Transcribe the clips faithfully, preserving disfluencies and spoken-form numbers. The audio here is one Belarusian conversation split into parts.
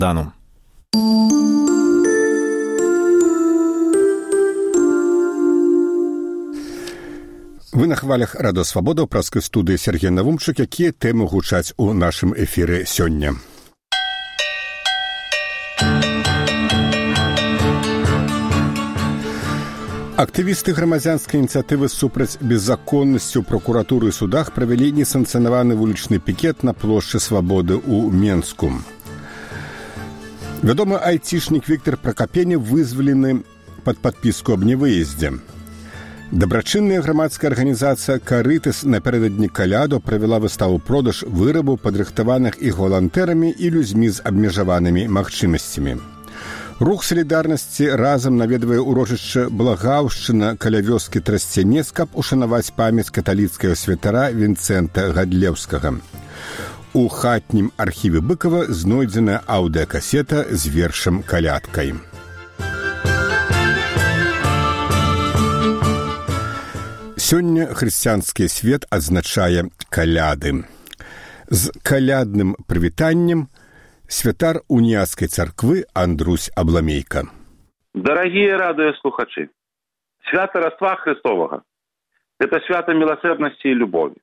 Дану. Вы на хвалях Радио Свабода ў праскай студыі Сергей Навумчык, якія тэмы гучаць у нашым эфіры сёння. Актывісты грамадзянскай ініцыятывы супраць беззаконнасці ў прокуратуры і судах правялі несанкцыянаваны вулічны пікет на плошчы Свабоды ў Менску. Вядомы айцішнік Віктор Пракапеня вызвалены пад падпіску аб невыездзе. Дабрачынная грамадская арганізацыя «Карытас» напярэдадні каляду правяла выставу-продаж вырабаў, падрыхтаваных іх валантэрамі і людзьмі з абмежаванымі магчымасцямі. Рух салідарнасці разам наведвае ўрочышча Благаўшчына каля вёскі Трасцянец, каб ушанаваць памяць каталіцкага святара Вінцэнта Гадлеўскага. У хатнім архіве Быкова знойдзена аўдыакасета з вершам «Калядкай». Сёння хрысціянскі свет адзначае каляды. З калядным прывітаннем святар уніяцкай царквы Андрусь Абламейка. Дорогие радыёслухачы, свято Рождества Христового – это свято милосердности и любови.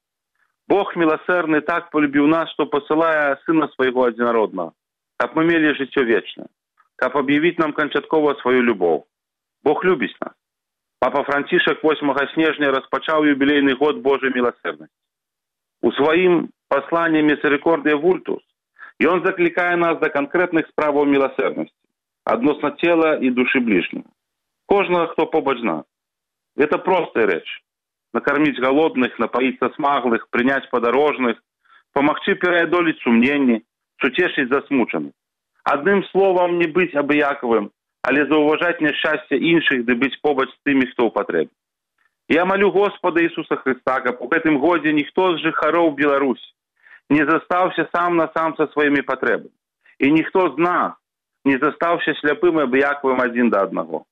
Бог милосердный так полюбил нас, что посылая Сына Своего Одинородного, как мы имели житье вечное, как объявить нам кончатково свою любовь. Бог любит нас. Папа Францішак восьмага снежня распачаў юбілейны год Божьей милосердности. У своим послании «Мисерикордия Вультус» ён закликае нас до конкретных справаў милосердности, адносно тела и души ближнего. Кожного, кто побач нас. Это простая речь. Накормить голодных, напоить смаглых, принять подорожных, помогчи переодолеть сумненні, сутешить засмученых. Одним словом, не быть абыяковым, але зауважать нещастя інших, де бить побач з тими, хто у потребі. Я молю Господа Ісуса Христа, каб у гэтым годзе ніхто з жыхароў Беларусі не застаўся сам на сам со сваімі патрэбамі. І ніхто з нас не застаўся сляпым і абыякавым адзін да аднаго.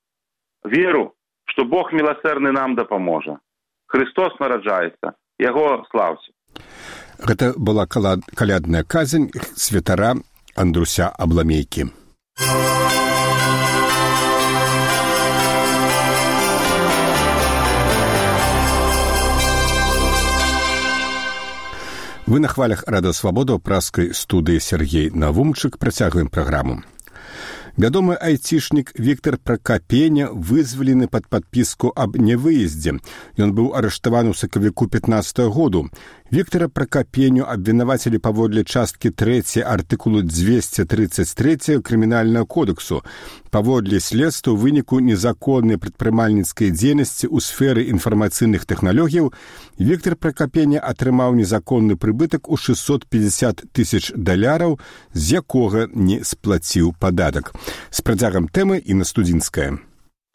Веру, што Бог милосердны нам дапаможа. Христос нараджаецца, Яго слаўце. Гэта была калядная казань святара Андруся Абламейкі. Вы на хвалях Радио Свабода ў праскай студыі Сергей Навумчык. Працягваем праграму. Вядомы айцішнік Віктор Пракапеня вызвалены пад падпіску аб невыездзе. Ён быў арыштаваны ў сакавіку пятнаццатага году. Віктора Пракапеню абвінавацілі паводле часткі трэцяй артыкулу дзвесце трыццаць три крымінальнага кодексу. Паводле следства ў выніку незаконнай прадпрымальніцкай дзейнасці ў сферы інфармацыйных тэхналогіяў Віктор Пракапеня атрымаў незаконны прыбытак у шэсцьсот пятьдесят тысяч даляраў, з якога не сплаціў падатак. З працягам тэмы Інна Студзінская.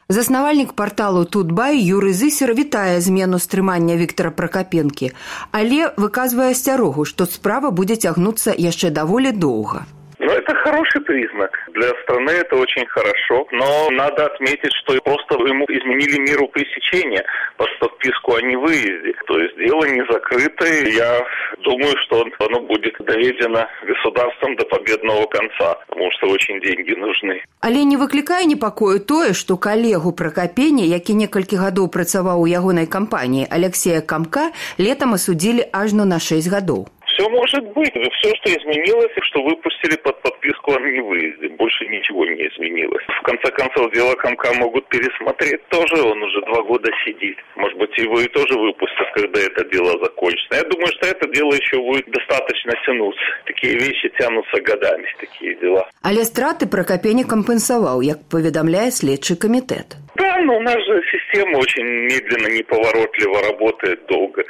Заснавальнік парталу «Тутбай» Юрый Зысер вітае змену стрымання Віктора Пракапенкі, але выказвае асцярогу, што справа будзе цягнуцца яшчэ даволі доўга. Ну, это хороший признак. Для страны это очень хорошо. Но надо отметить, что просто ему изменили меру пресечения под подписку о невыезде. То есть дело не закрытое. Я думаю, что оно будет доведено государством до победного конца, потому что очень деньги нужны. Але не выклікае непакою тое, што калегу Пракапеня, які некалькі гадоў працаваў у ягонай кампаніі, Алексея Камка, летом осудили ажно на шесть гадоў. Все может быть. Все, что изменилось, что выпустили под подписку о невыезде. Больше ничего не изменилось. В конце концов, дело Камка могут пересмотреть тоже. Он уже два года сидит. Может быть, его и тоже выпустят, когда это дело закончится. Я думаю, что это дело еще будет достаточно тянуться. Такие вещи тянутся годами, такие дела. Але страты Пракапеня компенсовал, як поведомляет следчий комитет. Да, но у нас же система очень медленно, неповоротливо работает долго.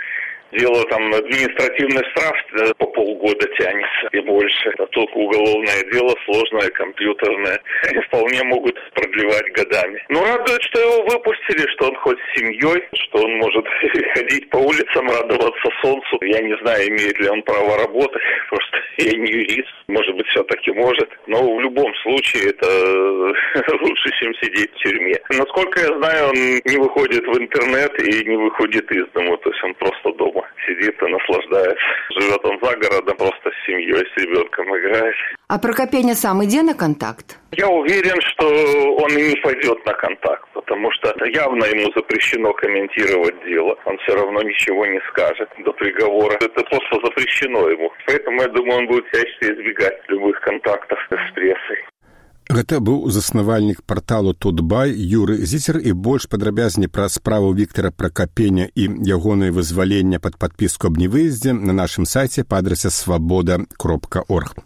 Дело там административный штраф по полгода тянется и больше. А только уголовное дело, сложное, компьютерное, вполне могут продлевать годами. Но радует, что его выпустили, что он хоть с семьей, что он может ходить по улицам, радоваться солнцу. Я не знаю, имеет ли он право работать, просто я не юрист, может быть, все-таки может. Но в любом случае это лучше, чем сидеть в тюрьме. Насколько я знаю, он не выходит в интернет и не выходит из дома, то есть он просто дома сидит и наслаждается. Живет он за городом, просто с семьей, с ребенком играет. А Прокопеня сам иде на контакт? Я уверен, что он и не пойдет на контакт, потому что явно ему запрещено комментировать дело. Он все равно ничего не скажет до приговора. Это просто запрещено ему. Поэтому, я думаю, он будет всячески избегать любых контактов с прессой. Гэта быў заснавальнік парталу Тутбай Юры Зіцер, і больш падрабязней пра справу Віктара Пракапеня і ягонае вызвалення пад падпіску аб невыездзе на нашым сайце па адрасе свабода кропка орг.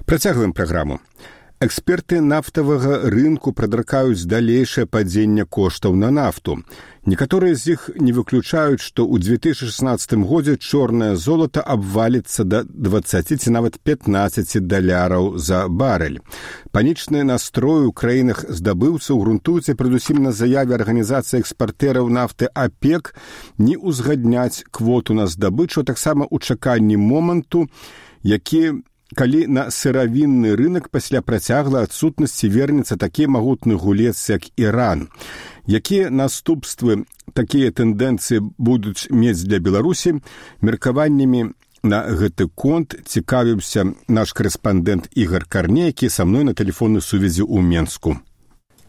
Працягваем праграму. Эксперты нафтавага рынку прадракаюць далейшае падзенне коштаў на нафту. Некаторыя з іх не выключаюць, што ў две тысячы шестнадцатым годзе чорнае золата абваліцца да дваццаці ці нават пятнаццаці даляраў за барэль. Панічныя настроі ў краінах здабыўцаў грунтуюцца перадусім на заяве арганізацыі экспартэраў нафты ОПЕК не ўзгадняць квоту на здабычу, а таксама ў чаканні моманту, які калі на сыравінны рынок пасля працяглай адсутнасці вернецца такі магутны гулец, як Іран. Якія наступствы такія тэндэнцыі будуць мець для Беларусі? Меркаваннямі на гэты конт цікавіўся наш корэспандэнт Ігар Карней, які са мной на тэлефоннай сувязі ў Менску.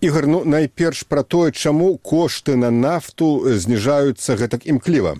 Ігар, ну найперш пра тое, чаму кошты на нафту зніжаюцца гэтак імкліва?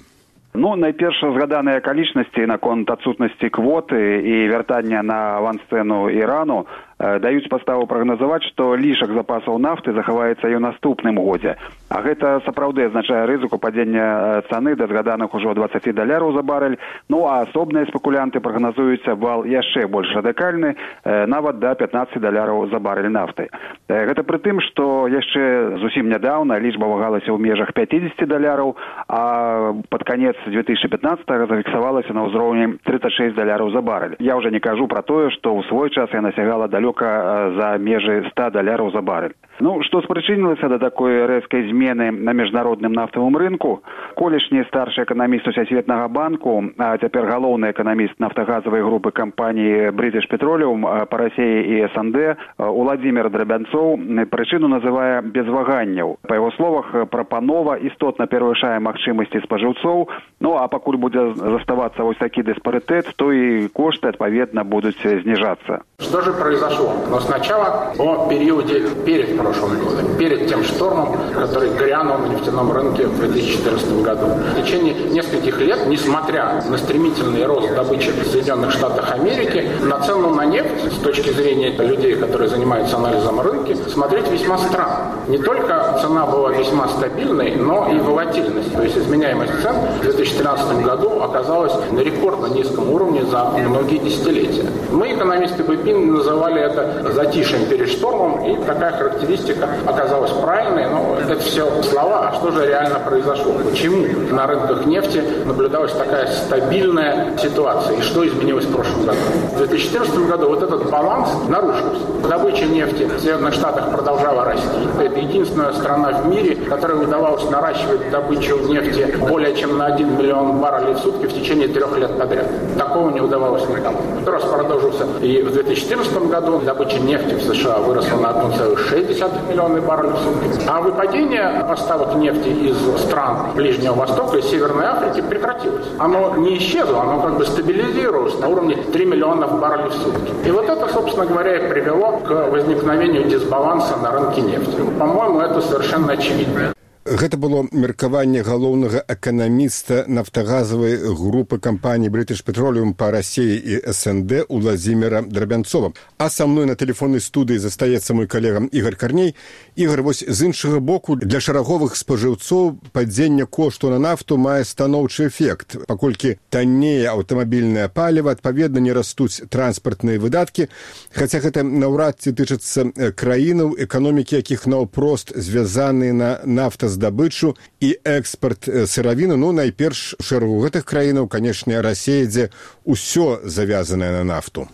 Ну, найперш згаданыя акалічнасці наконт адсутнасці квоты і вяртання на авансцэну Ірану даюць падставу прагназаваць, што лішак запасаў нафты захаваецца і ў наступным годзе. А гэта сапраўды азначае рызыку падзення цаны да згаданых ужо дваццаці даляраў за барэль. Ну, а асобныя спекулянты прагназуюць абвал яшчэ больш радыкальны, нават да пятнаццаці даляраў за барэль нафты. Гэта пры тым, што яшчэ зусім нядаўна лічба вагалася ў межах пятьдесят даляраў, а пад канец две тысячи пятнадцатого зафіксавалася на ўзроўні тридцать шесть даляраў за барэль. Я ўжо не кажу пра тое, што ў свой час яна сягала далёка за межы ста даляраў за барэль. Ну, што спрычынілася да такой рэзкай змены на міжнародным нафтавым рынку? Колішні старшы эканаміст Сусветнага банку, а цяпер галоўны эканаміст нафтагазавай групы кампаніі British Petroleum па Расіі і эс эн дэ Уладзімір Драбянцоў прычыну называе без ваганняў. Па яго словах, прапанова істотна перавышае магчымасці спажыўцоў, ну а пакуль будзе заставацца вось такі диспаритет, то и кошты, отповедно, будут снижаться. Что же произошло? Но сначала о периоде перед прошлым годом, перед тем штормом, который грянул на нефтяном рынке в две тысячи четырнадцатом году. В течение нескольких лет, несмотря на стремительный рост добычи в Соединенных Штатах Америки, на цену на нефть, с точки зрения людей, которые занимаются анализом рынка, смотреть весьма странно. Не только цена была весьма стабильной, но и волатильность, то есть изменяемость цен в две тысячи тринадцатом году оказалась на рекордно низком уровне за многие десятилетия. Мы, экономисты бэ пэ эн, называли это затишьем перед штормом, и такая характеристика оказалась правильной, но это все слова. А что же реально произошло? Почему на рынках нефти наблюдалась такая стабильная ситуация? И что изменилось в прошлом году? В две тысячи четырнадцатом году вот этот баланс нарушился. Добыча нефти в Соединенных Штатах продолжала расти. Это единственная страна в мире, которой удавалось наращивать добычу нефти более чем на один миллион баррелей в сутки в течение трех лет подряд. Такого не удавалось никому. Рост продолжился и в две тысячи четырнадцатом году. Добыча нефти в США выросла на один целых шесть десятых миллиона баррелей в сутки. А выпадение поставок нефти из стран Ближнего Востока и Северной Африки прекратилось. Оно не исчезло, оно как бы стабилизировалось на уровне три миллиона баррелей в сутки. И вот это, собственно говоря, и привело к возникновению дисбаланса на рынке нефти. По-моему, это совершенно очевидно. Гэта было меркаванне галоўнага эканаміста нафтагазавай групы кампаніі British Petroleum па Расіі і эс эн дэ Уладзіміра Драбянцова. А са мной на тэлефоннай студыі застаецца мой калега Ігар Карней. Ігар, вось з іншага боку, для шараговых спажыўцоў падзенне кошту на нафту мае станоўчы эфект. Паколькі таннее аўтамабільнае паліва, адпаведна не растуць транспартныя выдаткі, хаця гэта наўрад ці тычыцца краінаў, эканомікі якіх наўпрост звязаныя на нафта здабычу і экспорт сыравіны. Ну, найперш у шэрагу гэтых краінаў, канешне, Расія, дзе ўсё завязанае на нафту.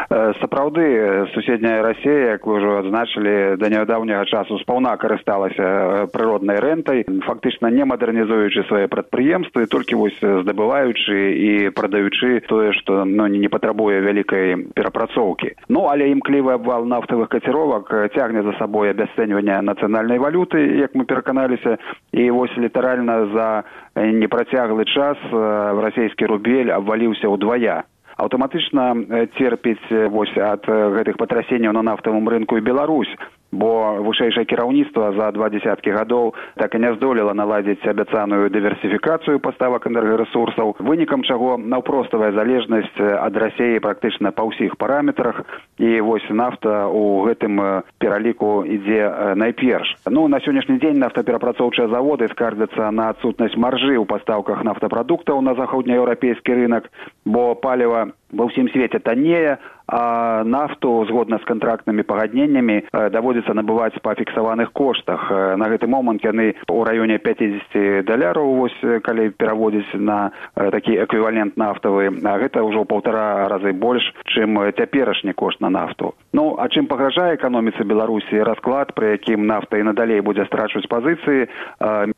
Сапраўды, суседняя Расія, як вы ўжо адзначылі, да нядаўняга часу спаўна карысталася прыроднай рэнтай, фактычна не мадэрнізуючы свае прадпрыемствы, толькі вось здабываючы і прадаючы тое, што ну, не патрабуе вялікай перапрацоўкі. Ну, але імклівы абвал нафтавых каціровак цягне за сабой абясцэньванне нацыянальнай валюты, як мы пераканаліся, і вось літаральна за непрацяглы час расійскі рубель абваліўся ўдвая. Аўтаматычна церпіць вось ад гэтых патрасенняў на нафтавым рынку і Беларусь, бо вышэйшае кіраўніцтва за два дзесяткі гадоў так і не здолела наладзіць абяцаную дыверсіфікацыю паставак энергарэсурсаў, вынікам чаго наўпроставая залежнасць ад Расіі практычна па ўсіх параметрах, і вось нафта ў гэтым пераліку ідзе найперш. Ну, на сённяшні дзень нафтаперапрацоўчыя заводы скардзяцца на адсутнасць маржы ў пастаўках нафтапрадуктаў на заходнееўрапейскі рынак, бо паліва ва ўсім свеце таннее, а нафту, згодна з кантрактнымі пагадненнямі, даводзіцца набываць па фіксаваных коштах. На гэты момант яны ў раёне пяцьдзесят даляраў, вось, калі пераводзіць на такі эквівалент нафтавы, а гэта ўжо ў паўтара разы больш, чым цяперашні кошт на нафту. Ну, а чым пагражае эканоміцы Беларусі расклад, пры якім нафта і надалей будзе страчваць пазіцыі,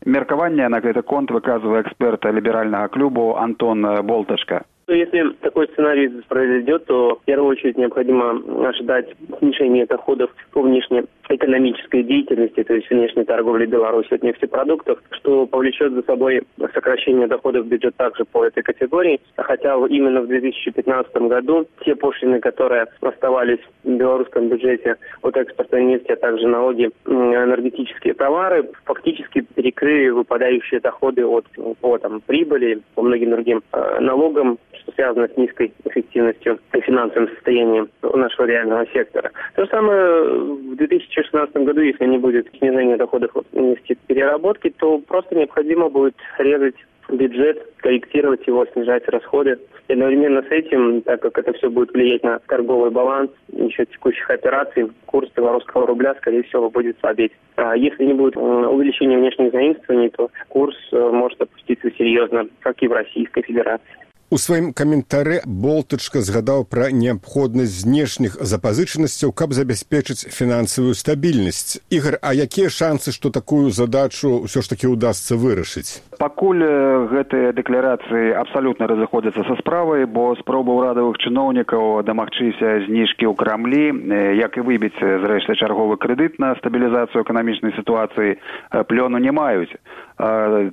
меркаванне на гэты конт выказвае эксперт ліберальнага клубу Антон Болтачка. Если такой сценарий произойдет, то в первую очередь необходимо ожидать снижения доходов по внешнеэкономической деятельности, то есть внешней торговли Беларуси от нефтепродуктов, что повлечет за собой сокращение доходов в бюджет также по этой категории. Хотя именно в две тысячи пятнадцатом году те пошлины, которые оставались в белорусском бюджете от экспорта нефти, а также налоги на энергетические товары, фактически перекрыли выпадающие доходы от по, там, прибыли, по многим другим э, налогам, что связано с низкой эффективностью и финансовым состоянием нашего реального сектора. То же самое в две тысячи шестнадцатом году, если не будет снижения доходов от нефтепереработки, то просто необходимо будет резать бюджет, корректировать его, снижать расходы. И одновременно с этим, так как это все будет влиять на торговый баланс еще текущих операций, курс белорусского рубля, скорее всего, будет слабеть. А если не будет увеличения внешних заимствований, то курс может опуститься серьезно, как и в Российской Федерации. У сваім каментары Болтачка згадаў пра неабходнасць знешніх запазычанасцяў, каб забяспечыць фінансавую стабільнасць. Ігор, а якія шансы, што такую задачу ўсё ж такі ўдасца вырашыць? Пакуль гэтыя дэкларацыі абсалютна разыходзяцца са справай, бо спробы ўрадавых чыноўнікаў дамагчыся зніжкі ў Крамлі, як і выбіць, зрэшты, чарговы крэдыт на стабілізацыю эканамічнай сітуацыі, плёну не маюць.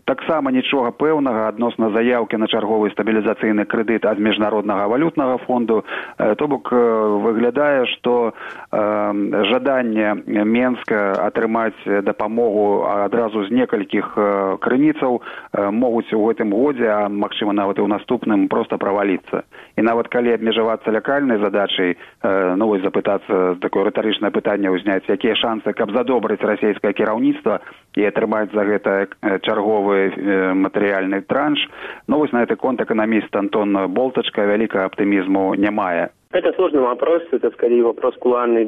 Таксама нічога пэўнага адносна заяўкі на чарговы стабілізацыйны крэдыт ад міжнароднага валютнага фонду. То бок выглядае, што жаданне Менска атрымаць дапамогу адразу з некалькіх крыніцаў могуць у гэтым годзе, а магчыма нават і ў наступным, проста праваліцца. І нават калі абмежавацца лякальнай задачай, ну вось запытацца, такое рытарычнае пытанне ўзняць, якія шансы, каб задобрыць расійскае кіраўніцтва і атрымаць за гэта чарговы матэрыяльны транш. Ну вось на гэты конт эканаміст Антон Болтачка вялікага аптымізму не мае. Это сложный вопрос, это скорее вопрос кулуарных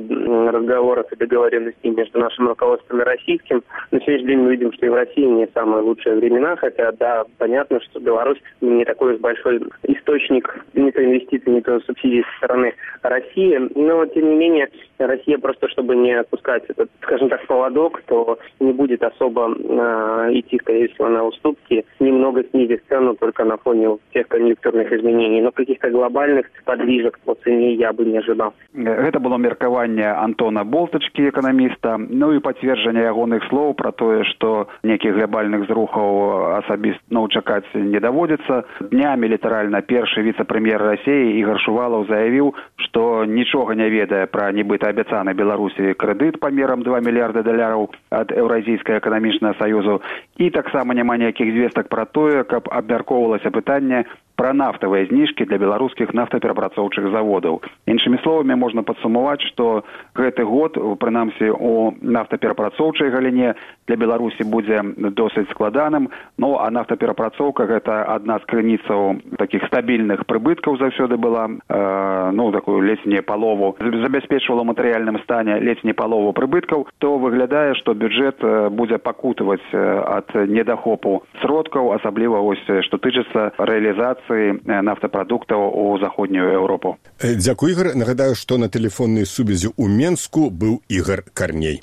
разговоров и договоренностей между нашим руководством и российским. На сегодняшний день мы видим, что и в России не самые лучшие времена, хотя, да, понятно, что Беларусь не такой уж большой источник не то инвестиций, не то субсидий со стороны России, но, тем не менее, Россия просто, чтобы не отпускать этот, скажем так, поводок, то не будет особо э, идти, скорее всего, на уступки, немного снизив цену только на фоне тех конъюнктурных изменений, но каких-то глобальных подвижек по цене я бы не ожидал. Гэта было меркаванне Антона Болтачкі, эканаміста, ну і пацверджанне ягоных слоў пра тое, што нейкіх глобальных зрухаў асабіста ну, чакаць не даводзіцца. Днямі літаральна першы віцэ-прэм'ер Расіі Ігор Шувалаў заявіў, што нічога не ведае пра нібыта абяцаны Беларусі крэдыт памерам два мільярды даляраў ад Еўразійскага эканамічнага саюзу, і таксама няма ніякіх звестак пра тое, каб абмяркоўвалася пытанне пра нафтавыя зніжкі для беларускіх нафтаперапрацоўчых заводаў. Іншымі словамі, можна падсумаваць, што гэты год, прынамсі, у нафтаперапрацоўчай галіне для Беларусі будзе досыць складаным, ну, а нафтаперапрацоўка гэта адна з крыніцаў такіх стабільных прыбыткаў заўсёды была, э, ну, такую ледзь не палову, забяспечвала ў матэрыяльным стане ледзь не палову прыбыткаў, то выглядае, што бюджэт будзе пакутаваць ад недахопу сродкаў, асабліва, ось, што тычыцца рэалізацыі экспарцыі нафтапрадуктаў у заходнюю Еўропу. Дзякуй, Ігор. Нагадаю, што на тэлефоннай сувязі ў Менску быў Ігор Карней.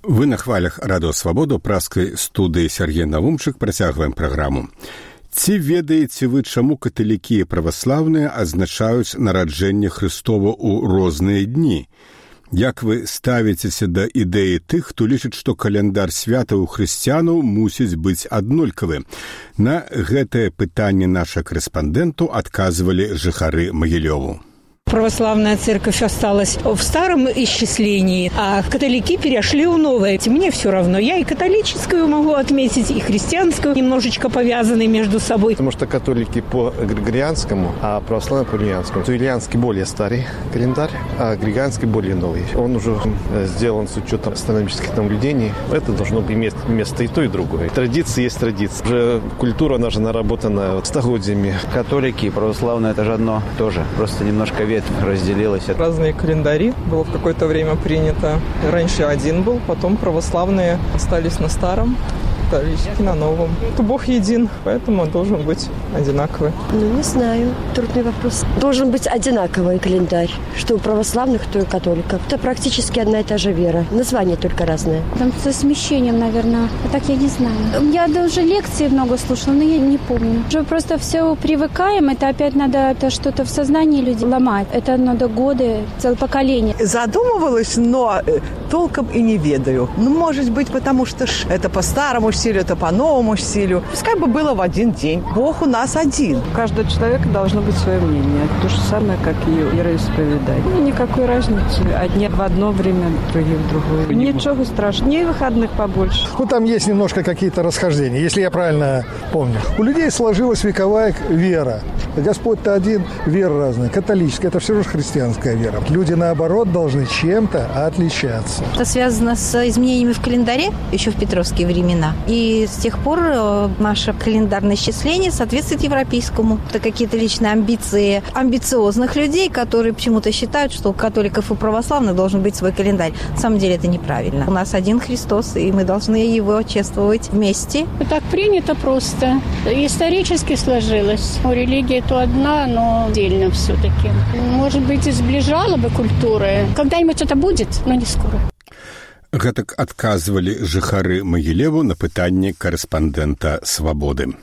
Вы на хвалях Радыё Свабода, праскай студыі Сергей Навумчык, працягваем праграму. Ці ведаеце вы, чаму каталікі і праваслаўныя адзначаюць нараджэнне Хрыстова ў розныя дні? Як вы ставіцеся да ідэі тых, хто лічыць, што каляндар святаў хрысціянаў мусіць быць аднолькавы? На гэтае пытанне наша корэспандэнту адказвалі жыхары Магілёву. Православная церковь осталась в старом исчислении, а католики перешли в новое. Мне все равно. Я и католическую могу отметить, и христианскую, немножечко повязанные между собой. Потому что католики по григорианскому, а православные по юлианскому. Юлианский более старый календарь, а григорианский более новый. Он уже сделан с учетом астрономических наблюдений. Это должно иметь место и то, и другое. Традиции есть традиции. Уже культура, она же наработана столетиями. Католики и православные – это же одно тоже. Просто немножко ветвь разделилась. Разные календари было в какое-то время принято. Раньше один был, потом православные остались на старом, католические на новом. То Бог един, поэтому он должен быть одинаковый. Ну, не знаю. Трудный вопрос. Должен быть одинаковый календарь. Что у православных, то и у католиков. Это практически одна и та же вера. Название только разное. Там со смещением, наверное. А так я не знаю. Я даже лекции много слушала, но я не помню. Уже просто все привыкаем. Это опять надо это что-то в сознании людей ломать. Это надо годы, целое поколение. Задумывалась, но толком и не ведаю. Ну, может быть, потому что это по-старому стилю, это по новому стилю. Пускай бы было в один день. Бог у нас один. У каждого человека должно быть свое мнение. То же самое, как и вероисповедание. Ну, никакой разницы. Одни в одно время, другие в другое. Ничего страшного. Дней выходных побольше. Ну, там есть немножко какие-то расхождения, если я правильно помню. У людей сложилась вековая вера. Господь-то один, вера разная. Католическая, это все же христианская вера. Люди, наоборот, должны чем-то отличаться. Это связано с изменениями в календаре еще в петровские времена. И с тех пор наше календарное исчисление соответствует европейскому. Это какие-то личные амбиции амбициозных людей, которые почему-то считают, что у католиков и православных должен быть свой календарь. На самом деле это неправильно. У нас один Христос, и мы должны его чествовать вместе. Так принято просто. Исторически сложилось. У религии то одна, но отдельно все-таки. Может быть, и сближала бы культуры. Когда-нибудь это будет, но не скоро. Гэтак адказвалі жыхары Магілеву на пытанне корэспандэнта «Свабоды».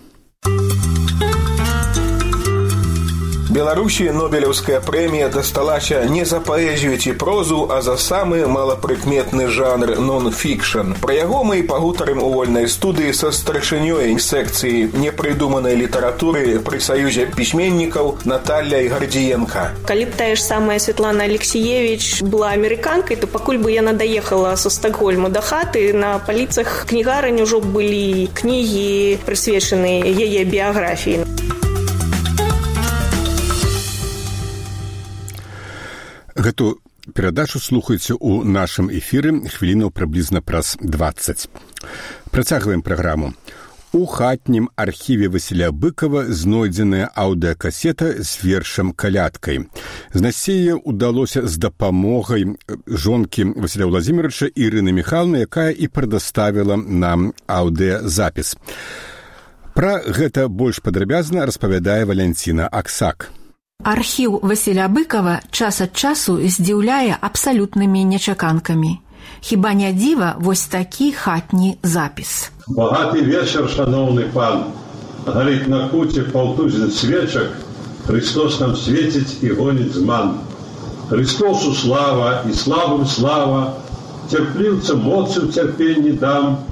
Беларусі Нобелеўская прэмія дасталася не за паэзію ці прозу, а за самы малапрыкметны жанр нон-фікшн. Пра яго мы пагутарым у вольнай студыі са старшынёй секцыі непрыдуманай літаратуры пры саюзе пісьменнікаў Натальяй Гардзіенка. Калі б тая ж самая Светлана Алексіевіч была амерыканкай, то пакуль бы яна даехала са Стокгольма да хаты, на паліцах кнігарань ужо былі кнігі, прысвечаныя яе біяграфіі. Гэту перадачу слухайце ў нашым эфіры хвілінаў прыблізна праз дваццаць. Працягваем праграму. У хатнім архіве Васіля Быкова знойдзеная аўдыакасета з вершам «Калядкай». Знайсці яе ўдалося з дапамогай жонкі Васіля Владзіміровича Ірыны Міхайлаўны, якая і прадаставіла нам аўдыазапіс. Пра гэта больш падрабязна распавядае Валянціна Аксак. Архіў Васіля Быкова час ад часу здзіўляе абсалютнымі нечаканкамі. Хіба не дзіва вось такі хатні запіс. Багаты вечар, шановны пан. Гарыць на куце паўтузін свечак, Христос нам свеціць і гоніць зман. Христосу слава і славам слава, цярпліўцам моцы ў цярпенні дам,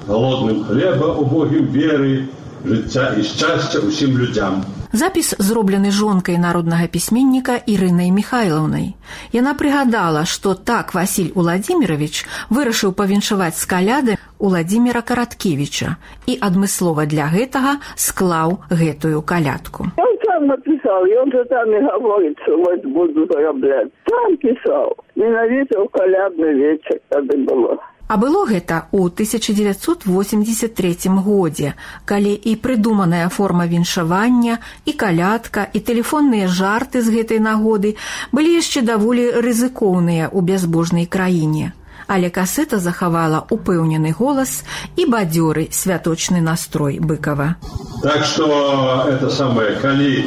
голодным хлеба убогім веры, жыцця і шчасця ўсім людзям. Запіс зроблены жонкай народнага пісьменніка Ірынай Міхайлаўнай. Яна прыгадала, што так Васіль Уладзімірович вырашыў павіншаваць з каляды Уладзіміра Караткевіча і адмыслова для гэтага склаў гэтую калядку. Он сам написал, и он же там и говорит, что вот буду зарабатывать. Сам писал. Ненавидел колядный вечер, когда было. А было гэта ў тысяча дзевяцьсот восемьдесят третьем годзе, калі і прыдуманая форма віншавання, і калядка, і тэлефонныя жарты з гэтай нагоды былі яшчэ даволі рызыкоўныя ў бязбожнай краіне. Але касета захавала упэўнены голас і бадзёры святочны настрой Быкова. Так что это самое, калі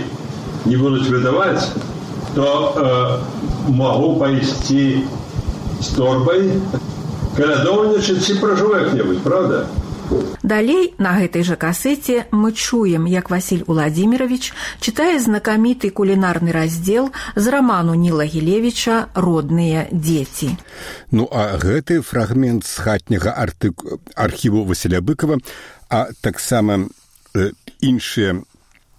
не будут выдавать, то э, могу пойти с торбой, калядовнічаць ці пражу як-небудзь, правда? Далей на гэтай жа касеце мы чуем, як Васіль Уладзімірович чытае знакаміты кулінарны раздзел з раману Ніла Гілевіча «Родныя дзеці». Ну, а гэты фрагмент з хатняга артык... архіву Васіля Быкова, а таксама э, іншыя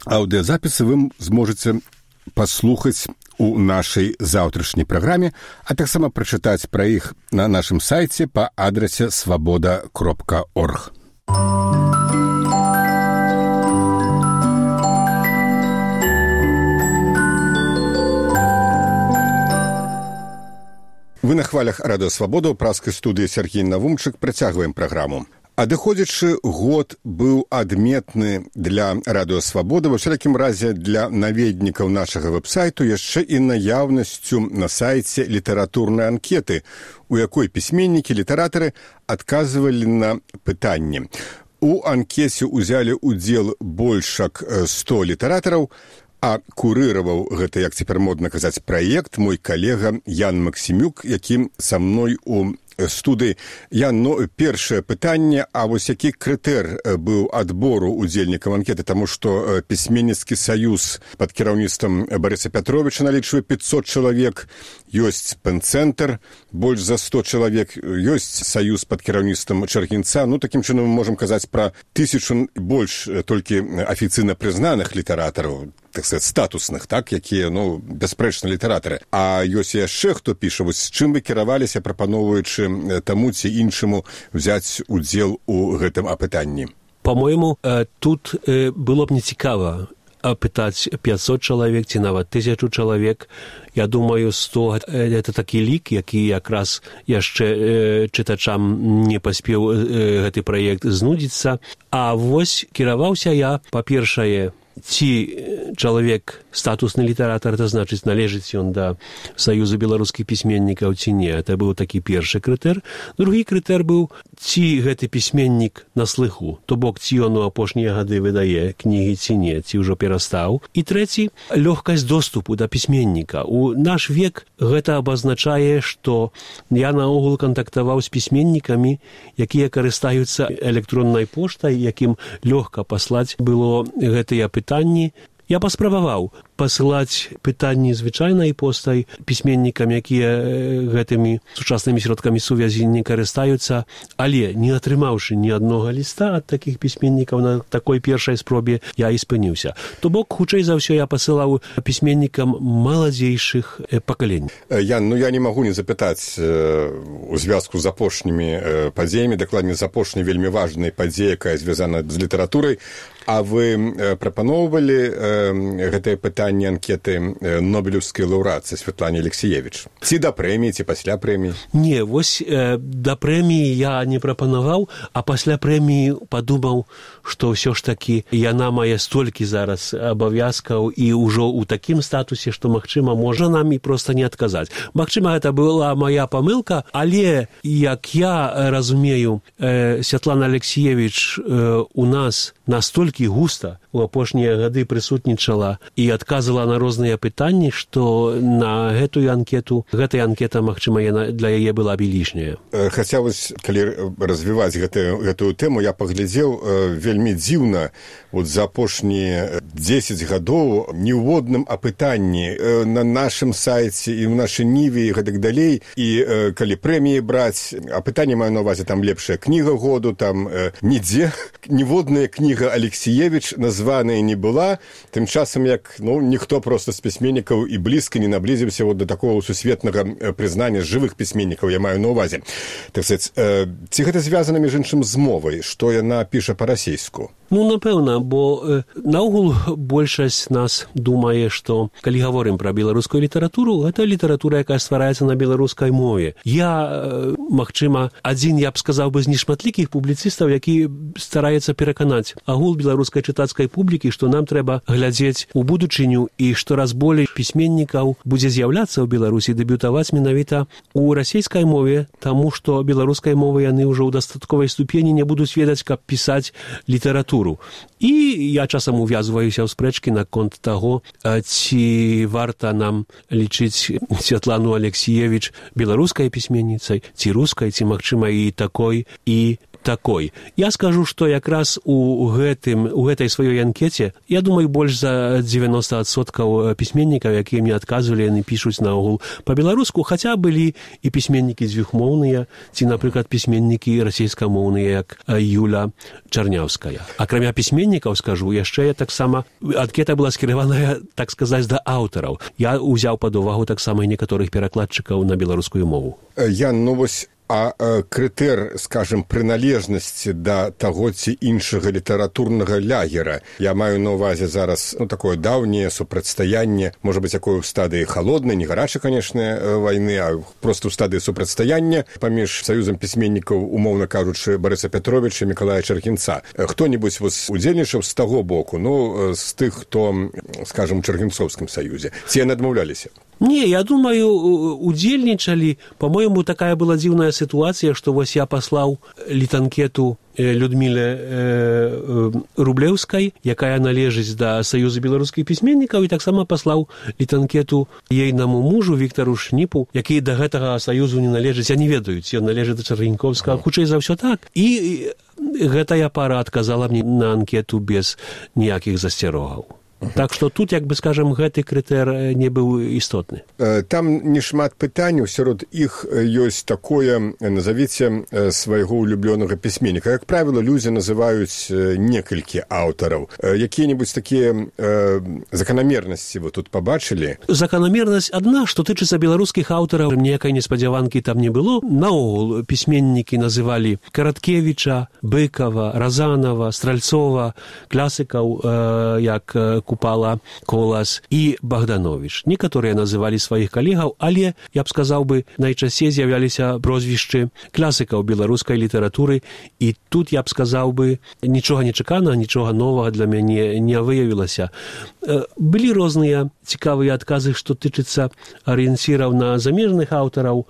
аўдыёзапісы вы зможаце паслухаць у нашай заўтрашняй праграме, а таксама прачытаць пра іх на нашым сайце па адрасе свабода кропка орг. Вы на хвалях радыё Свабода ў праскай студыі Сергей Навумчык працягваем праграму. Адыходзячы год быў адметны для радыё Свабода, ва ўсялякім разе для наведнікаў нашага вэб-сайту яшчэ і наяўнасцю на сайце літаратурнай анкеты, у якой пісьменнікі, літаратары адказвалі на пытанні. У анкеце ўзялі ўдзел больш як сто літаратараў, а курыраваў гэта, як цяпер модна казаць, праект мой калега Ян Максімюк, які са мной у студыі. Ян, ну, першае пытанне, а вось які крытэр быў адбору удзельнікаў анкеты, таму што пісьменніцкі саюз пад кіраўніцтвам Барыса Пятровіча налічвае пятьсот чалавек, ёсць пэн-цэнтр, больш за сто чалавек, ёсць саюз пад кіраўніцтвам Чаргінца. Ну, такім чынам мы можам казаць пра тысячу больш толькі афіцыйна прызнаных літаратараў, так сказать, статусных, так, якія, ну, бясспрэчна літаратары. А ёсць яшчэ хто піша, вось з чым вы кіраваліся, прапаноўваючы таму ці іншаму взяць удзел у гэтым апытанні? По-моему, тут было б нецікава пытаць пятьсот чалавек ці нават тысячу чалавек. Я думаю, сто – это такі лік, які якраз яшчэ чытачам не паспеў гэты праект знудзіцца. А вось кіраваўся я, па-першае, ці чалавек статусны літаратар, это значыць, належыць ён да Саюзу беларускіх пісьменнікаў ці не. Это быў такі першы крытэр. Другі крытэр быў, ці гэты пісьменнік на слыху, то бок, ці ён у апошнія гады выдае кнігі ці не, ці ўжо перастаў. І трэці, лёгкасць доступу да пісьменніка. У наш век гэта абазначае, што я наогул кантактаваў з пісьменнікамі, якія карыстаюцца электроннай поштай, якім лёгка паслаць было гэтыя пытанні. Я паспрабаваў пасылаць пытанні звычайнай постай пісьменнікам, якія гэтымі сучаснымі сродкамі сувязі не карыстаюцца, але не атрымаўшы ні аднога ліста ад такіх пісьменнікаў на такой першай спробе, я і спыніўся. То бок, хутчэй за ўсё я пасылаў пісьменнікам маладзейшых пакаленняў. Ян, ну я не магу не запытаць у звязку з апошнімі падзеямі, дакладней з апошняй вельмі важнай падзеяй, якая звязана з літаратурай. А вы прапаноўвалі гэтае пытанне анкеты нобелеўскай лаўрэатцы Святлане Алексіевіч? Ці да прэміі, ці пасля прэміі? Не, вось э, да прэміі я не прапанаваў, а пасля прэміі падумаў, што ўсё ж такі яна мае столькі зараз абавязкаў і ўжо ў такім статусе, што, магчыма, можа нам і проста не адказаць. Магчыма, гэта была мая памылка, але, як я разумею, э, Святлана Алексіевіч э, у нас настолькі густа у апошнія гады прысутнічала і адказала на розныя пытанні, што на гэтую анкету, гэтая анкета, магчыма, для яе была б лішняя. Хаця вось, калі развіваць гэтую, гэтую тэму, я паглядзеў, вельмі дзіўна, вот за апошнія дзесяць гадоў ніводным апытанні на нашым сайце і ў нашай ніве і гэтак далей, і калі прэміі браць, апытанне маю на ўвазе, там лепшая кніга году, там нідзе ніводная кніга Алексіевіч названая не была, тым часам як, ну, ніхто проста з пісьменнікаў і блізка не наблізіўся вот да такого сусветнага прызнання жывых пісьменнікаў, я маю на ўвазе. Так сказаць, ці гэта звязана, між іншым, з мовай, што яна піша па-расейску? Ну, напэўна, бо э, наогул большасць нас думае, што калі гаворым пра беларускую літаратуру, гэта літаратура, якая ствараецца на беларускай мове. Я, э, магчыма, адзін, я б сказаў бы, з нешматлікіх публіцыстаў, які стараецца пераканаць агул беларускай чытацкай публікі, што нам трэба глядзець у будучыню і штораз болей пісьменнікаў будзе з'яўляцца ў Беларусі, дэбютаваць менавіта у расійскай мове, таму што беларускай мовы яны ўжо ў дастатковай ступені не будуць ведаць, каб пісаць літаратуру. І я часам увязваюся ў спрэчкі наконт таго, ці варта нам лічыць Святлану Алексіевіч беларускай пісьменніцай, ці рускай, ці, магчыма, і такой, і такой. Я скажу, што якраз у гэтым, у гэтай сваёй анкеце, я думаю, больш за дзевяносто адсоткаў пісьменнікаў, якія мне адказвалі, яны пішуць наогул па-беларуску, хаця былі і пісьменнікі дзвюхмоўныя, ці, напрыклад, пісьменнікі расійскамоўныя, як Юля Чарняўская. Акрамя пісьменнікаў, скажу, яшчэ таксама анкета была скіраваная, так сказаць, да аўтараў. Я ўзяў пад увагу таксама і некаторых перакладчыкаў на беларускую мову. Ян, ну вось А крытэр, скажем, прыналежнасці да таго ці іншага літаратурнага лягера. Я маю на ўвазе зараз, ну, такое даўняе супрацьстаянне, можа быць, якое ў стадыі халоднай, не гарачай, канечне, вайны, а проста ў стадыі супрацьстаяння паміж саюзам пісьменнікаў, умоўна кажучы, Барыса Пятровіча і Мікалая Чаргінца. Хто-небудзь вось удзельнічаў з таго боку, ну, з тых, хто, скажем, у Чаргінцоўскім саюзе. Ці яны адмаўляліся? Не, я думаю, удзельнічалі. По-моему, такая была дзіўная сітуацыя, што вось я паслаў літанкету Людміле э, Рублеўскай, якая належыць да Саюза беларускіх пісьменнікаў, і таксама паслаў літанкету ейнаму мужу Віктару Шніпу, які да гэтага саюзу не належыць. Я не ведаю, ці ён належыць да Чаргінкоўскага, хутчэй за ўсё так. І гэтая пара адказала мне на анкету без ніякіх засцярогаў. Так што тут, як бы, скажем, гэты крытэр не быў істотны. Там нешмат пытанняў, сярод іх ёсць такое, назавіце свайго улюблёнага пісьменніка. Як правіла, людзі называюць некалькі аўтараў. Якія-небудзь такія э, заканамернасці вы тут пабачылі? Заканамернасць адна, што тычыцца беларускіх аўтараў, ніякай неспадзяванкі там не было. Наогул пісьменнікі называлі Караткевіча, Быкова, Разанова, Стральцова, класыкаў, э, як Купала, Колас і Богданович. Некаторыя называлі сваіх калегаў, але, я б сказаў бы, найчасцей з'яўляліся прозвішчы класікаў беларускай літаратуры, і тут, я б сказаў бы, нічога нечаканага, нічога новага для мяне не выявілася. Былі розныя цікавыя адказы, што тычыцца арыенціраў на замежных аўтараў.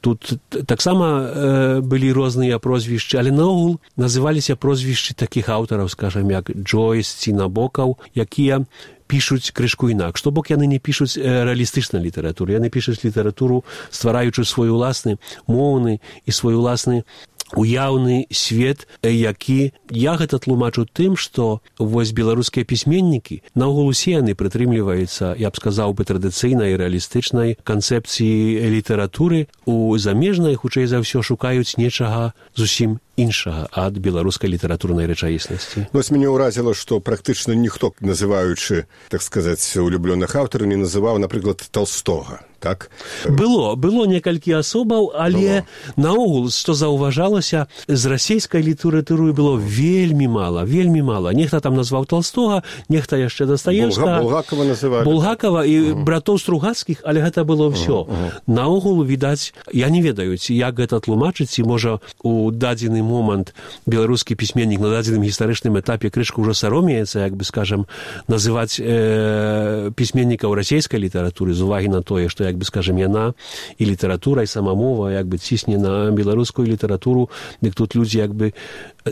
Тут таксама э, былі розныя прозвішчы, але наогул называліся прозвішчы такіх аўтараў, скажам, як Джойс ці Набокаў, якія пішуць крышку інакш. Што бок яны не пішуць рэалістычнай літаратуры, яны пішуць літаратуру, ствараючы свой уласны моўны і свой уласны уяўны свет, які я гэта тлумачу тым, што вось беларускія пісьменнікі наогул усе яны прытрымліваюцца, я б сказаў бы, традыцыйнай рэалістычнай канцэпцыі літаратуры. У замежнай, хутчэй за ўсё, шукаюць нечага зусім іншага ад беларускай літаратурнай рэчаіснасці. Вось мяне ўразіла, што практычна ніхто, называючы, так сказаць, улюблёных аўтараў, не называў, напрыклад, Толстога. Так? Было, было некалькі асобаў, але было. Наогул, што заўважалася, з расійскай літаратуры было вельмі мала, вельмі мала. Нехта там назваў Толстога, нехта яшчэ Дастаевскага. Булгакова называлі. Булгакова і uh-huh. братоў Стругацкіх, але гэта было ўсё. Uh-huh. Наогул, відаць, я не ведаю, ці як гэта тлумачыць, ці можа у дадзены момант беларускі пісьменнік на дадзеным гістарычным этапе крышку ўжо саромеецца, як бы, скажам, называць э, пісьменнікаў расійскай літаратуры з увагі на тое, што, як бы, скажем, яна і літаратура, і сама мова, як бы, цісне на беларускую літаратуру, дык тут людзі, як бы,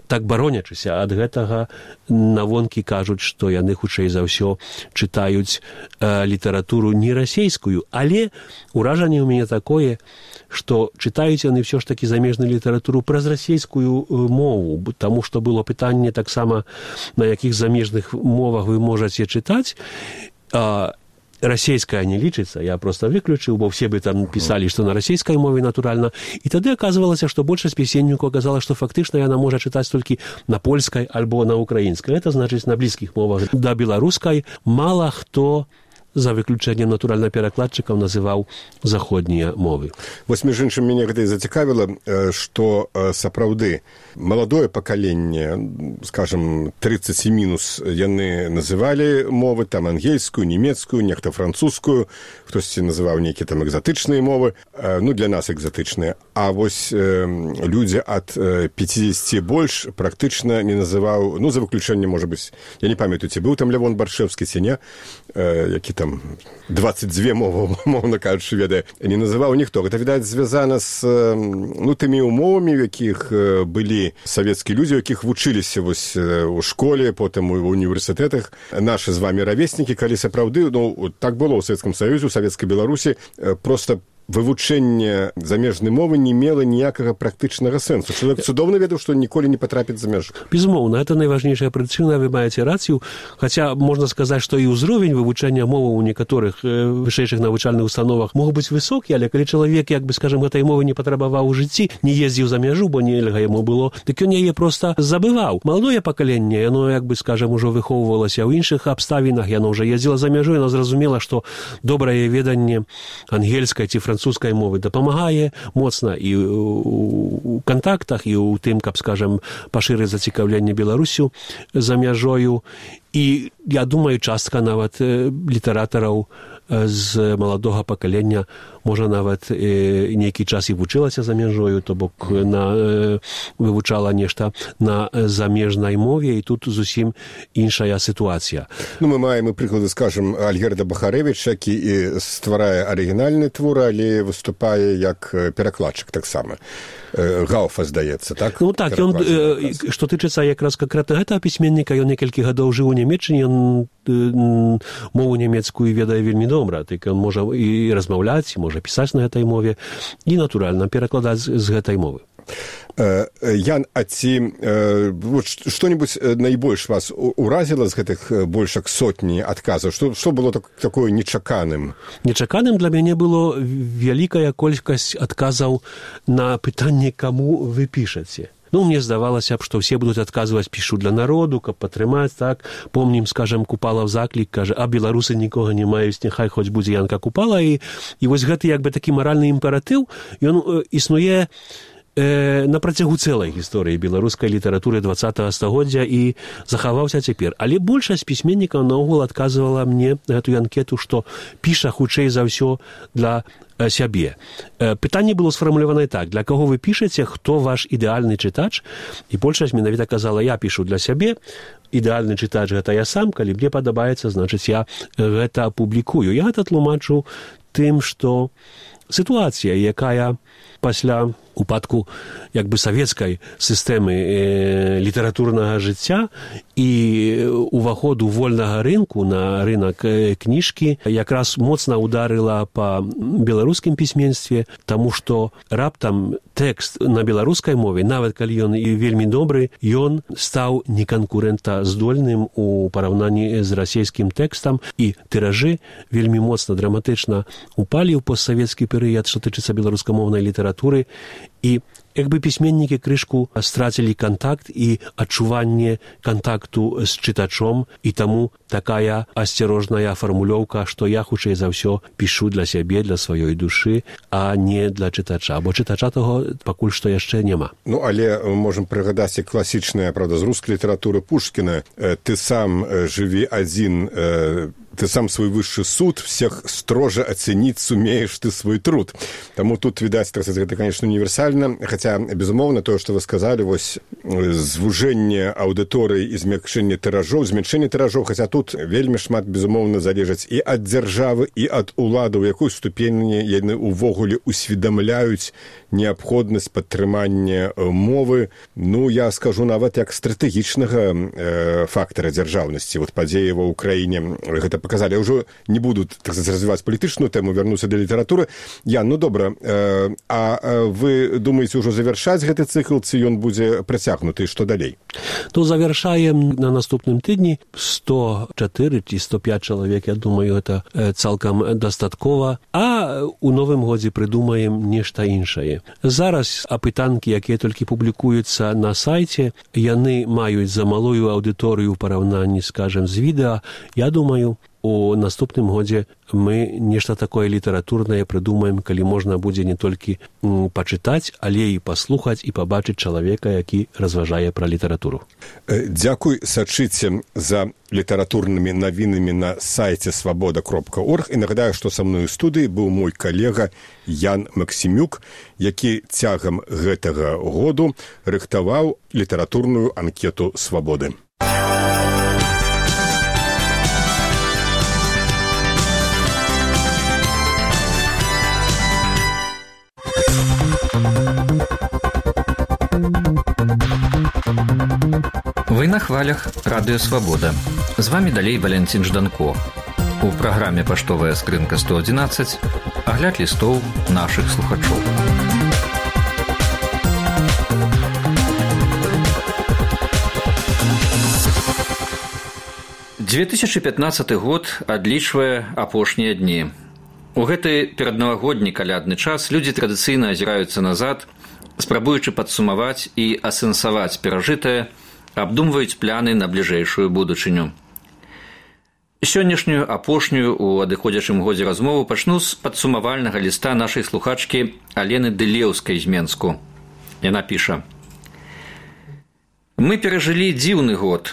так баронячыся ад гэтага, навонкі кажуць, што яны, хутчэй за ўсё, чытаюць э, літаратуру не расійскую, але ўражанне ў мяне такое, што чытаюць яны ўсё ж такі замежную літаратуру праз расійскую мову, таму што было пытанне таксама, на якіх замежных мовах вы можаце чытаць. А расійская не лічыцца, я проста выключыў, бо все бы там пісалі, што на расійскай мове, натуральна. І тады аказвалася, што большасць пісьменнікаў аказала, што фактычна яна можа чытаць толькі на польскай альбо на украінскай. Гэта значыць, на блізкіх мовах да беларускай мала хто за выключэннем натуральна перакладчыкаў называў заходнія мовы. Вось між іншым мяне гэта і зацікавіла, што сапраўды маладое пакаленне, скажем, тридцать мінус, яны называлі мовы, там ангельскую, нямецкую, нехта французскую, хтосьці называў нейкія там экзатычныя мовы, ну для нас экзатычныя. А вось э, людзі ад пятидесяти больш практычна не называў, ну за выключэннем, можа быць, я не памятаю, ці быў там Лявон Баршэвскі, ці не, э, які там двадцать две мовы, мовна кажучы, ведае, не называў ніхто. Гэта, відаць, звязана з ну, тымі умовамі, у якіх былі савецкія людзі, у якіх вучыліся вось у школе, потым у універсітэтах. Нашы з вамі равеснікі, калі сапраўды, ну, так было ў Савецкім Саюзе, у Савецкай Беларусі, проста вывучэнне замежнай мовы не мела ніякага практычнага сэнсу. Чалавек цудоўна ведаў, што ніколі не патрапіць за мяжу. Безумоўна, это найважнейшая прычына, вы маеце рацыю, хаця можна сказаць, што і ўзровень вывучэння мовы ў некаторых вышэйшых навучальных установах мог быць высокі, але калі чалавек, як бы, скажем, гэтай мовы не патрабаваў у жыцці, не ездзіў за мяжу, бо нельга яму было, дык ён яе проста забываў. Маладое пакаленне, яно, як бы, скажем, ужо выхоўвалася ў іншых абставінах, яно ўжо ездзіла за мяжу, яно зразумела, што добрае веданне ангельскай ці французскай мовы дапамагае моцна і ў кантактах, і ў тым, каб, скажем, пашырыць зацікаўленне Беларусю за мяжою. І, я думаю, частка нават літаратараў з маладога пакалення можа нават нейкі час і вучылася за мяжою, то бок на, вывучала нешта на замежнай мове, і тут зусім іншая сітуацыя. Ну, мы маем і прыклады, скажем, Альгерда Бахарэвіч, які і стварае арыгінальны твор, але выступае як перакладчык таксама. Гауфа, здаецца, так? Ну так, ён, што тычыцца якраз канкрэтна гэтага пісьменніка, ён некалькі гадоў жыў у Нямецчыне, ён мову нямецкую ведае вельмі добра, так ён можа і размаўляць, і можа пісаць на гэтай мове, і, натуральна, перакладаць з гэтай мовы. Ян, а ці вот, што-нибудь найбольш вас уразіла з гэтых больш як сотні адказаў? Што, што было так, такое нечаканым? Нечаканым для мяне было вялікая колькасць адказаў на пытанне, каму вы пішаце. Ну, мне здавалася б, што ўсе будуць адказваць, пішу для народу, каб падтрымаць, так. Помнім, скажем, Купалаў заклік, кажа, а беларусы нікога не маюць, няхай хоць будзе Янка Купала. І, і вось гэты, як бы, такі маральны імператыў, ён існуе э, на працягу цэлай гісторыі беларускай літаратуры двадцатага стагоддзя і захаваўся цяпер. Але большасць пісьменнікаў наогул адказвала мне гэтую анкету, што піша хутчэй за ўсё для сябе. Пытанне было сфармуляванае так: для каго вы пішаце, хто ваш ідэальны чытач? І большасць менавіта казала, я пішу для сябе, ідэальны чытач гэта я сам, калі мне падабаецца, значыць, я гэта апублікую. Я гэта тлумачу тым, што сітуацыя, якая пасля упадку як бы савецкай сістэмы э, літаратурнага жыцця і уваходу вольнага рынку на рынок э, кніжкі якраз моцна ударыла па беларускім пісьменстве, таму што раптам тэкст на беларускай мове, нават калі ён і вельмі добры, ён стаў неканкурэнтаздольным у параўнанні з расійскім тэкстам, і тыражы вельмі моцна драматычна упалі ў постсавецкі перыяд, што тычыцца беларускамоўнай літаратуры. І як бы пісьменнікі крышку страцілі кантакт і адчуванне кантакту з чытачом, і таму такая асцярожная фармулёўка, што я хутчэй за ўсё пішу для сябе, для сваёй душы, а не для чытача, бо чытача таго пакуль што яшчэ няма. Ну, але можам прыгадаць і класічная, правда, з рускай літаратуры Пушкіна: «Ты сам жыві адзін, ты сам свой высший суд, всех строже оценить сумеешь ты свой труд». Таму тут, відаць, гэта, конечно, універсальна, хаця, безумоўна, тое, што вы сказалі, вось звужэнне аўдыторыі і змякчэнне тыражоў, зменшэнне тыражоў, хаця тут вельмі шмат, безумоўна, залежаць і ад дзяржавы, і ад уладаў, якой ступені яны ўвогуле усведамляюць неабходнасць падтрымання мовы. Ну, я скажу нават як стратэгічнага э, фактара дзяржаўнасці. Вот падзеі ва ўкраіне гэта показалі. Я ўжо не буду так сказать, развіваць палітычную тэму, вярнуся да літаратуры. Я, ну добра, э, а вы думаеце ўжо завяршаць гэты цыкл, ці ён будзе працягнуты, што далей? То завяршаем на наступным тыдні. сто чатыры ці сто пяць чалавек, я думаю, это цалкам дастаткова. А у новым годзе прыдумаем нешта іншае. Зараз апытанкі, якія толькі публікуюцца на сайце, яны маюць за малую аўдыторыю ў параўнанні, скажем, з відэа. Я думаю, у наступным годзе мы нешта такое літаратурнае прыдумаем, калі можна будзе не толькі пачытаць, але і паслухаць і пабачыць чалавека, які разважае пра літаратуру. Дзякуй, сачыце за літаратурнымі навінамі на сайце свабода кропка орг. І нагадаю, што са мной у студыі быў мой калега Ян Максімюк, які цягам гэтага году рыхтаваў літаратурную анкету свабоды. Вы на хвалях радыё «Свабода». З вами далей Валянцін Жданко. У праграме «Паштовая скрынка сто адзінаццаць» агляд лістоў нашых слухачоў. две тысячи пятнадцаты год адлічвае апошнія дні. У гэты пераднавагодні калядны час людзі традыцыйна азіраюцца назад, спрабуючы падсумаваць і асэнсаваць перажытае, абдумваюць пляны на бліжэйшую будучыню. Сённяшнюю апошнюю у адыходзячым годзе размову пачну з падсумавальнага ліста нашай слухачкі Алены Дылеўскай з Менску. Яна піша: «Мы перажылі дзіўны год.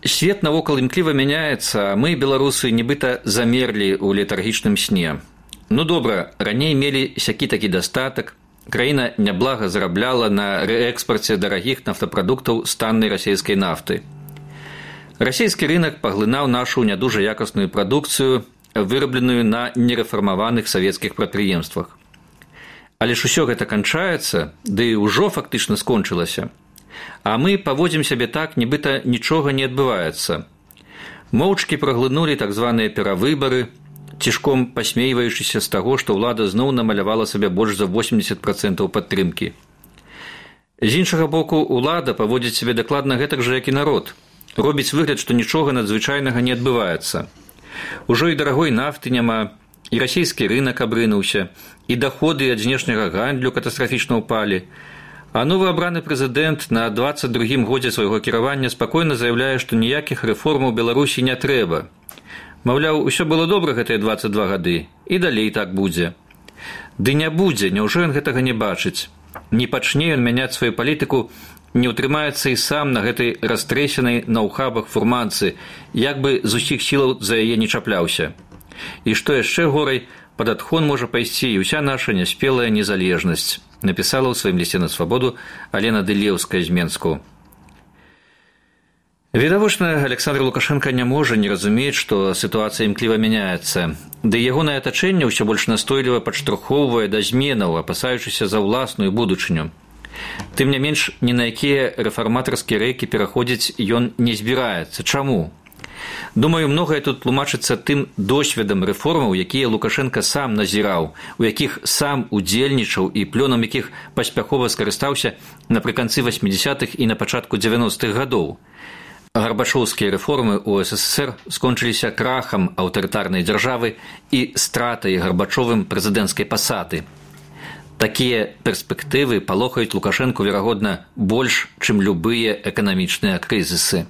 Свет навокал імкліва мяняецца, а мы, беларусы, нібыта замерлі ў летаргічным сне. Ну добра, раней мелі сякі-такі дастатак, краіна няблага зарабляла на рээкспарце дарагіх нафтапрадуктаў з таннай расійскай нафты. Расійскі рынак паглынаў нашу нядужа якасную прадукцыю, вырабленую на нерэфармаваных савецкіх прадпрыемствах. Але ж усё гэта канчаецца, ды ўжо фактычна скончылася. А мы паводзім сябе так, нібыта нічога не адбываецца. Моўчкі праглынулі так званыя перавыбары, цішком пасмейваючыся з таго, што ўлада зноў намалявала сабе больш за восемьдесят процентаў падтрымкі. З іншага боку, ўлада паводзіць сябе дакладна гэтак жа, як і народ. Робіць выгляд, што нічога надзвычайнага не адбываецца. Ужо і дарагой нафты няма, і расійскі рынак абрынуўся, і даходы ад знешняга гандлю катастрафічна ўпалі. А новы абраны прэзідэнт на двадцать другім годзе свайго кіравання спакойна заяўляе, што ніякіх рэформаў Беларусі не трэба. Маўляў, усё было добра гэтыя двадцать два гады, і далей так будзе. Ды не будзе, няўжо ён гэтага не бачыць. Не пачне ён мяняць сваю палітыку, не ўтрымаецца і сам на гэтай растрэсенай на ўхабах фурманцы, як бы з усіх сілаў за яе не чапляўся. І што яшчэ горай, пад адхон можа пайсці і ўся наша няспелая незалежнасць, напісала ў сваім лісце на свабоду Алена Дылеўская з Менску. Відавочна, Александр Лукашенко не можа не разумець, што сітуацыя імкліва мяняецца, ды ягонае атачэнне ўсё больш настойліва падштурхоўвае да зменаў, апасаючыся за ўласную будучыню. Тым не менш, ні на якія рэфарматарскія рэйкі пераходзіць ён не збіраецца. Чаму? Думаю, многае тут тлумачыцца тым досведам рэформаў, якія Лукашенко сам назіраў, у якіх сам удзельнічаў і плёнам якіх паспяхова скарыстаўся напрыканцы восьмидесятых і на пачатку дзевяностых гадоў. Гарбачоўскія рэформы ў СССР скончыліся крахам аўтарытарнай дзяржавы і стратай Гарбачовым прэзідэнцкай пасады. Такія перспектывы палохаюць Лукашэнку, верагодна, больш, чым любыя эканамічныя крызісы.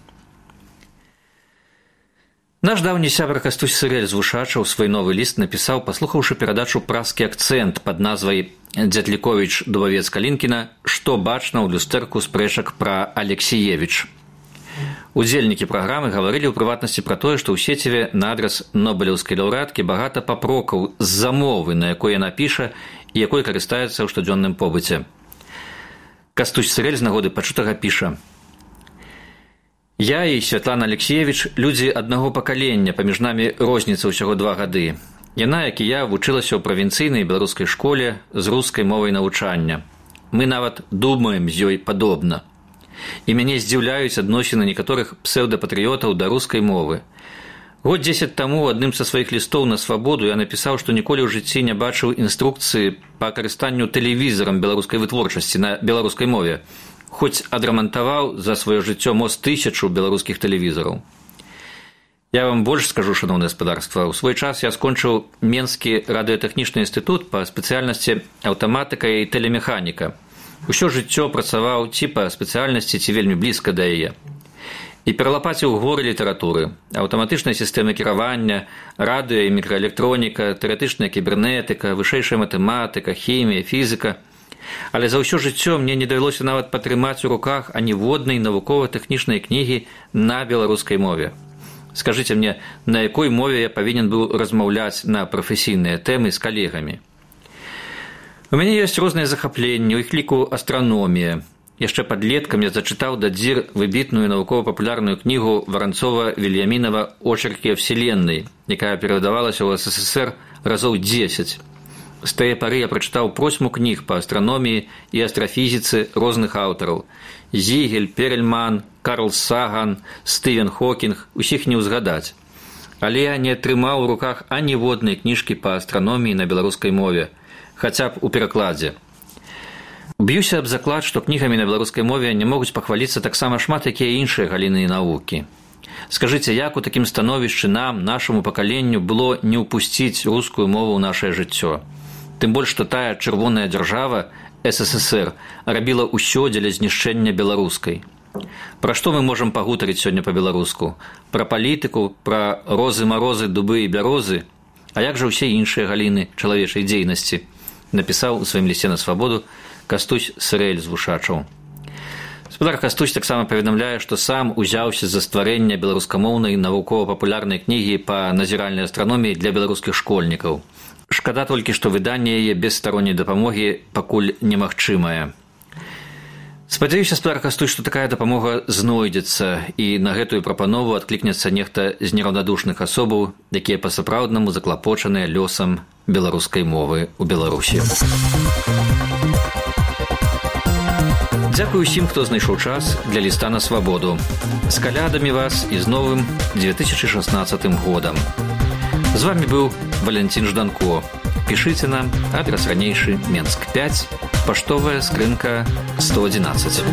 Наш даўні сябра Кастусь Сырэль з Вушача ў свой новы ліст напісаў, паслухаўшы перадачу «Праскі акцэнт» пад назвай «Дзятліковіч Дубавец Калінкіна. Што бачна ў люстэрку спрэчак пра Алексіевіч». Удзельнікі праграмы гаварылі ў прыватнасці пра тое, што ў сеціве на адрас нобелеўскай лаўрэаткі багата папрокаў з замовы, на якой яна піша і якой карыстаецца ў штодзённым побыце. Кастусь Сырэль з нагоды пачутага піша: «Я і Святлана Алексіевіч людзі аднаго пакалення, паміж намі розніца ўсяго два гады. Яна, як і я, вучылася ў правінцыйнай беларускай школе з рускай мовай навучання. Мы нават думаем з ёй падобна. І мяне здзіўляюць адносіны некаторых псеўдапатрыётаў да рускай мовы. Год дзесяць таму ў адным са сваіх лістоў на свабоду я напісаў, што ніколі ў жыцці не бачыў інструкцыі па карыстанню тэлевізарам беларускай вытворчасці на беларускай мове, хоць адрамантаваў за сваё жыццё мо з тысячу беларускіх тэлевізараў. Я вам больш скажу, шаноўнае гаспадарства, у свой час я скончыў Менскі радыётэхнічны інстытут па спецыяльнасці аўтаматыка і тэлемеханіка. Усё жыццё працаваў ці па спецыяльнасці, ці вельмі блізка да яе. і пералапаціў горы літаратуры, аўтаматычныя сістэмы кіравання, радыё і мікраэлектроніка, тэарэтычная кібернетыка, вышэйшая матэматыка, хімія, фізіка. Але за ўсё жыццё мне не давялося нават патрымаць у руках аніводнай навукова-тэхнічнай кнігі на беларускай мове. Скажыце мне, на якой мове я павінен быў размаўляць на прафесійныя тэмы з калегамі? У мяне ёсць розныя захапленні, у іх ліку астраномія. Яшчэ падлеткам я зачытаў дадзір выбітную навукова-папулярную кнігу Варанцова-Вільямінава «Очерки о Вселенной», якая перавыдавалася ў СССР разоў дзесяць. З тае пары я прачытаў просьму кніг па астраноміі і астрафізіцы розных аўтараў. Зігель, Перельман, Карл Саган, Стывен Хокінг, усіх не ўзгадаць. Але я не атрымаў у руках аніводнай кніжкі па астраноміі на беларускай мове, хаця б у перакладзе. Б'юся аб заклад, што кнігамі на беларускай мове не могуць пахваліцца таксама шмат якія іншыя галіны навукі. Скажыце, як у такім становішчы нам, нашаму пакаленню, было не ўпусціць рускую мову ў нашае жыццё? Тым больш, што тая чырвоная дзяржава, СССР, рабіла ўсё дзеля знішчэння беларускай. Пра што мы можам пагутарыць сёння па-беларуску? Пра палітыку, пра розы-марозы, дубы і бярозы? А як жа ўсе іншыя галіны чалавечай дзейнасці? Напісаў у сваім лісце на свабоду Кастусь Сырэль з Вушачаў. Спадар Кастусь таксама паведамляе, што сам узяўся за стварэнне беларускамоўнай навукова-папулярнай кнігі па назіральнай астраноміі для беларускіх школьнікаў. Шкада толькі, што выданне яе без старонняй дапамогі пакуль немагчымае. Спадзяюся, спадар Кастусь, што такая дапамога знойдзецца, і на гэтую прапанову адклікнецца нехта з нераўнадушных асобаў, якія па-сапраўднаму заклапочаныя лёсам беларускай мовы ў Беларусі. Дзякую усім, хто знайшоў час для ліста на свабоду. З калядамі вас і з новым две тысячы шаснаццатым годам. З вами быў Валентин Жданко. Пішыце нам, адрес ранейшы Менск пяць, паштовая скрынка сто адзінаццаць.